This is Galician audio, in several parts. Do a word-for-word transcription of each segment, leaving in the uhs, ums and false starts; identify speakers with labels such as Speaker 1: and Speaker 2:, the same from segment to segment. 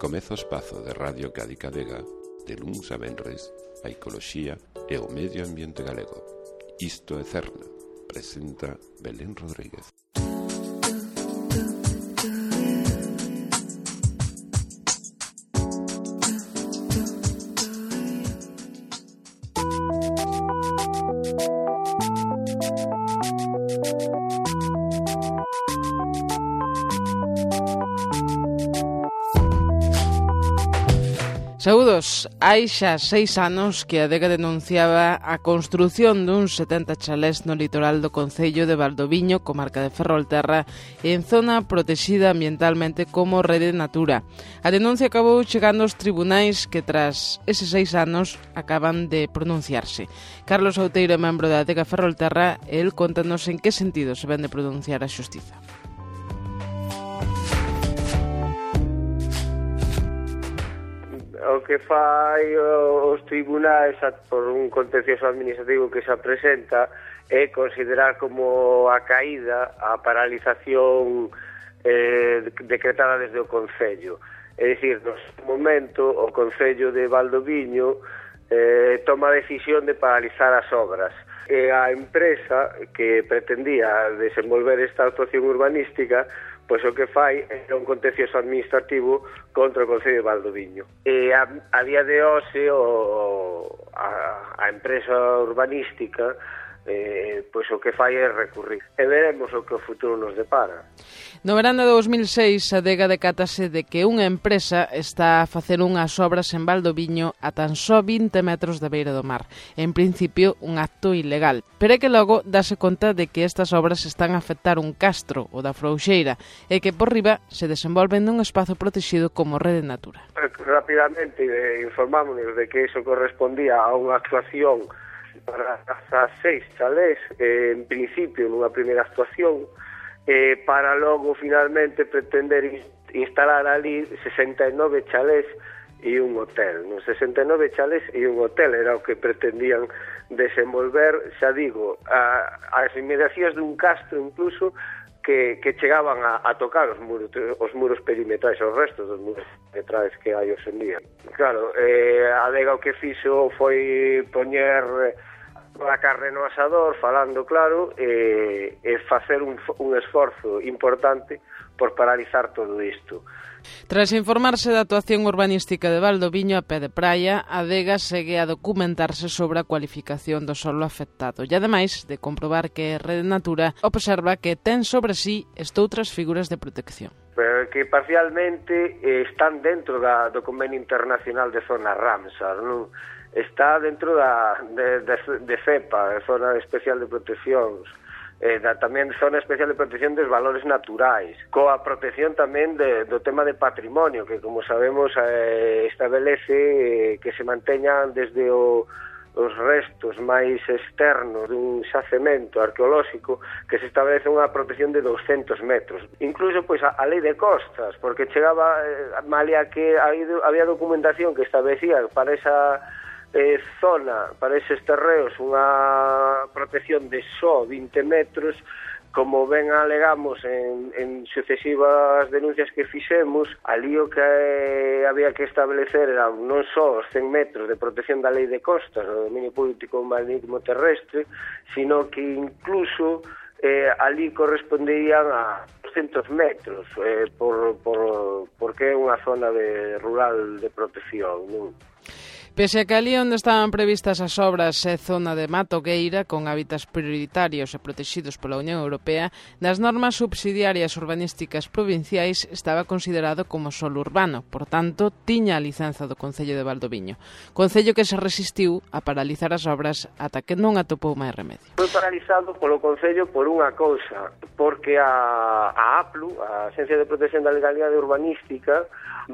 Speaker 1: Comeza o espazo de Radio Cádiz Cadega de luns a venres a ecoloxía e o medio ambiente galego. Isto é Cerna, presenta Belén Rodríguez.
Speaker 2: Saúdos, hai xa seis anos que a Adega denunciaba a construción duns setenta chalés no litoral do concello de Valdoviño, comarca de Ferrolterra, en zona protexida ambientalmente como Rede Natura. A denuncia acabou chegando aos tribunais que tras eses seis anos acaban de pronunciarse. Carlos Outeiro, membro da Adega Ferrolterra, el contanos en que sentido se ven de pronunciar a xustiza.
Speaker 3: O que fai os tribunais por un contencioso administrativo que se presenta é considerar como a caída a paralización eh, decretada desde o Concello. É dicir, no momento o Concello de Valdoviño eh, toma a decisión de paralizar as obras. E a empresa que pretendía desenvolver esta actuación urbanística, pois o que fai é un contencioso administrativo contra o Concello de Valdoviño. E a, a día de hoxe o, a, a empresa urbanística eh, pois o que fai é recurrir. E veremos o que o futuro nos depara.
Speaker 2: No verán de dous mil seis, a Adega decátase de que unha empresa está a facer unhas obras en Valdoviño a tan só vinte metros da beira do mar. En principio, un acto ilegal. Pero é que logo dáse conta de que estas obras están a afectar un castro, o da Frouxeira, e que por riba se desenvolven nun espazo protegido como Rede Natura.
Speaker 3: Rapidamente eh, informámonos de que iso correspondía a unha actuación para as seis chalés, eh, en principio nunha primeira actuación, eh, para logo finalmente pretender instalar ali sesenta e nove chalés e un hotel. Nos sesenta e nove chalés e un hotel era o que pretendían desenvolver, xa digo, a, as inmediacións dun castro incluso que, que chegaban a, a tocar os muros, os muros perimetrais, os restos dos muros perimetrais que hai hoxe en día. Claro, eh, a Adega o que fixo foi poñer a carne no asador, falando claro, e, e facer un, un esforzo importante por paralizar todo isto.
Speaker 2: Tras informarse da actuación urbanística de Valdoviño a pé de praia, a Adega segue a documentarse sobre a cualificación do solo afectado e, ademais de comprobar que Rede Natura observa que ten sobre sí estoutras figuras de protección.
Speaker 3: Pero que parcialmente eh, están dentro da, do Convenio Internacional de Zona Ramsar, non? Está dentro da, de, de, de CEPA, de Zona Especial de Proteccións, eh, da, tamén Zona Especial de Protección dos Valores Naturais, coa protección tamén de, do tema de patrimonio, que como sabemos eh, establece eh, que se manteñan desde o, os restos máis externos dun xacemento arqueolóxico que se establece unha protección de douscentos metros. Incluso pois a, a lei de costas, porque chegaba eh, malia que había documentación que establecía para esa Eh, zona, para eses terreos, unha protección de só vinte metros, como ben alegamos en, en sucesivas denuncias que fixemos, ali o que eh, había que establecer era non só os cen metros de protección da lei de costas, do dominio público marítimo terrestre, sino que incluso eh, ali correspondían a doscentos metros, eh, por, por, porque é unha zona de rural de protección, non?
Speaker 2: Pese a que ali onde estaban previstas as obras é zona de matogueira con hábitats prioritarios e protegidos pola Unión Europea, nas normas subsidiarias urbanísticas provinciais estaba considerado como solo urbano, por tanto, tiña a licenza do Concello de Valdoviño. Concello que se resistiu a paralizar as obras ata que non atopou máis remedio.
Speaker 3: Foi paralizado polo Concello por unha cousa, porque a, a A P L U, a Axencia de Protección da Legalidade Urbanística,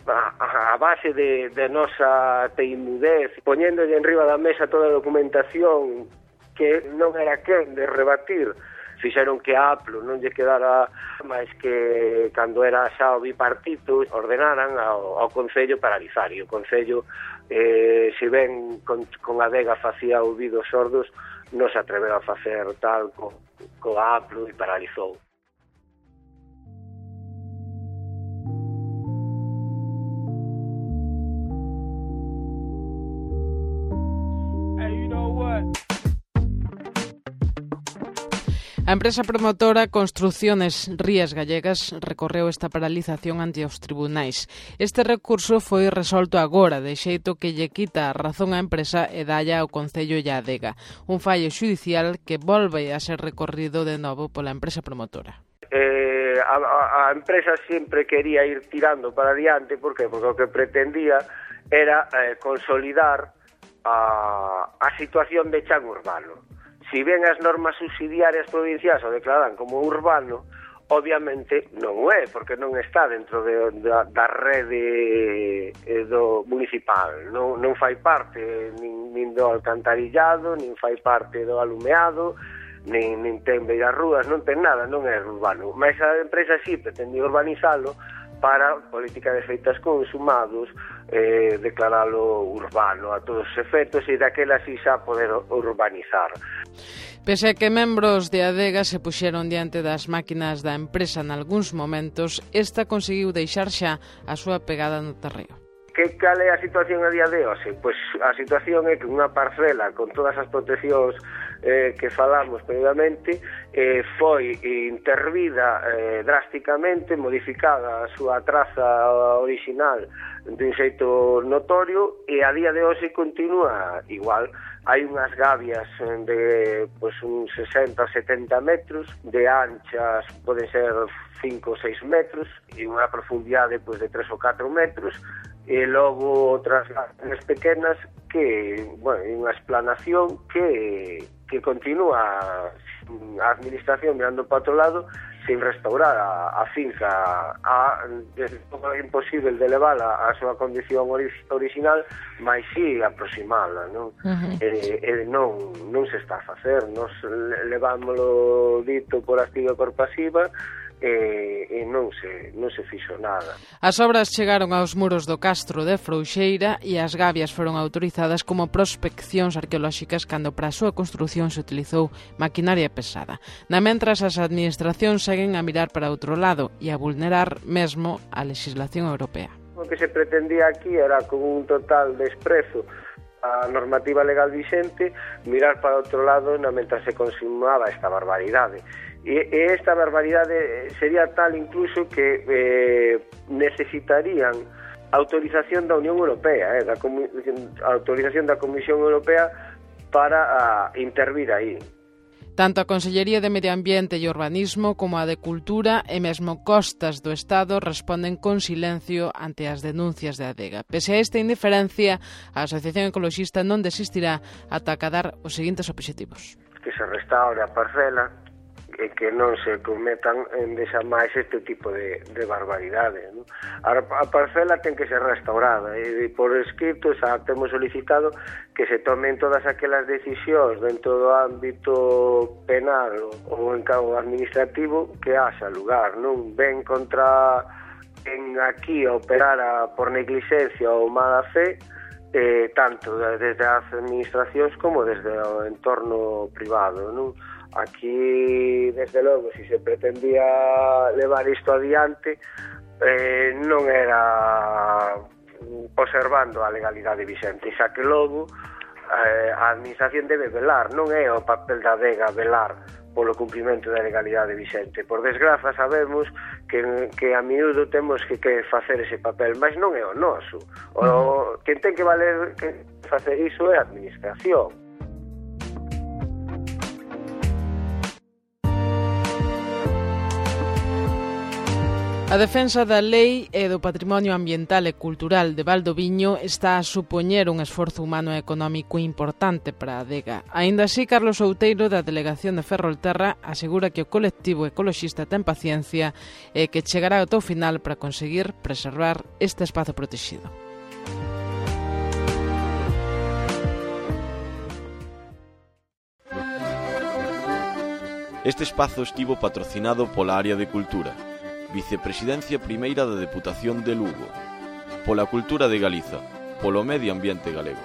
Speaker 3: a, a base de, de nosa teimudez, poñéndolle en riba da mesa toda a documentación que non era quen de rebatir, fixeron que a A P L U non lle quedara máis que cando era xa o bipartito ordenaran ao, ao Concello paralizar, e o Concello, eh, se ben con, con a Adega facía ouvidos sordos, non se atreveu a facer tal co, co a A P L U e paralizou.
Speaker 2: A empresa promotora Construciones Rías Gallegas recorreu esta paralización ante os tribunais. Este recurso foi resolto agora, de xeito que lle quita a razón á empresa e dalla ao Concello e a Adega. Un fallo xudicial que volve a ser recorrido de novo pola empresa promotora.
Speaker 3: Eh, a, a empresa sempre quería ir tirando para adiante, por que? Porque o que pretendía era eh, consolidar a, a situación de chan urbano. Si ben as normas subsidiarias provinciais o declaran como urbano, obviamente non o é, porque non está dentro de, da, da rede eh, do municipal. Non, non fai parte nin, nin do alcantarillado, nin fai parte do alumeado, nin, nin ten beiras rúas, non ten nada, non é urbano. Mas a empresa sí pretendía urbanizalo para política de feitas consumados, eh, declaralo urbano a todos os efectos e daquela así xa poder urbanizar.
Speaker 2: Pese a que membros de Adega se puxeron diante das máquinas da empresa nalgúns momentos, esta conseguiu deixar xa a súa pegada no terreo.
Speaker 3: Que cal é a situación a día de hoxe? Pois a situación é que unha parcela con todas as proteccións eh, que falamos previamente eh, foi intervida eh, drásticamente, modificada a súa traza original de un xeito notorio e a día de hoxe continúa igual. Hai unhas gavias de pois, uns sesenta a setenta metros, de anchas poden ser cinco ou seis metros e unha profundidade pois, de tres ou catro metros, e logo outras gavias pequenas que, bueno, unha explanación que, que continúa a administración mirando para outro lado sin restaurar a, a finca a, desde todo é imposible de levala a súa condición ori, original, mas sí aproximala, non? Uh-huh. E, e non, non se está a facer, nos levámoslo dito por activa e por pasiva, e, e non se, non se fixo nada.
Speaker 2: As obras chegaron aos muros do Castro de Frouxeira e as gavias foron autorizadas como prospeccións arqueolóxicas cando para a súa construción se utilizou maquinaria pesada. Na mentras, as administracións seguen a mirar para outro lado e a vulnerar mesmo a legislación europea.
Speaker 3: O que se pretendía aquí era, con un total desprezo a normativa legal vixente, mirar para outro lado na mentras se consumaba esta barbaridade. E esta barbaridade sería tal incluso que eh, necesitarían autorización da Unión Europea, eh, da autorización da Comisión Europea para a, intervir aí.
Speaker 2: Tanto a Consellería de Medio Ambiente e Urbanismo como a de Cultura e mesmo Costas do Estado responden con silencio ante as denuncias de Adega. Pese a esta indiferencia, a Asociación Ecoloxista non desistirá ata acadar os seguintes obxectivos.
Speaker 3: Que se restaure a parcela e que non se cometan en desa máis este tipo de, de barbaridade, non? A, a parcela ten que ser restaurada e, e por escrito xa temos solicitado que se tomen todas aquelas decisións dentro do ámbito penal ou en cabo administrativo que haxa lugar, non? Ben contra en aquí operar por negligencia ou mala fe, eh, tanto desde as administracións como desde o entorno privado, non? Aquí, desde logo, se se pretendía levar isto adiante, eh, non era observando a legalidade vixente, xa que logo eh, a administración debe velar, non é o papel da Adega velar polo cumprimento da legalidade vixente. Por desgraza sabemos que, que a miúdo temos que, que facer ese papel, mas non é o noso. O, quen ten que valer que facer iso é a administración.
Speaker 2: A defensa da lei e do patrimonio ambiental e cultural de Valdoviño está a supoñer un esforzo humano e económico importante para a Adega. Aínda así, Carlos Outeiro, da Delegación de Ferrolterra, asegura que o colectivo ecoloxista ten paciencia e que chegará ao final para conseguir preservar este espazo protegido.
Speaker 4: Este espazo estivo patrocinado pola área de Cultura, Vicepresidencia Primeira da Deputación de Lugo, pola Cultura de Galiza, polo Medio Ambiente Galego.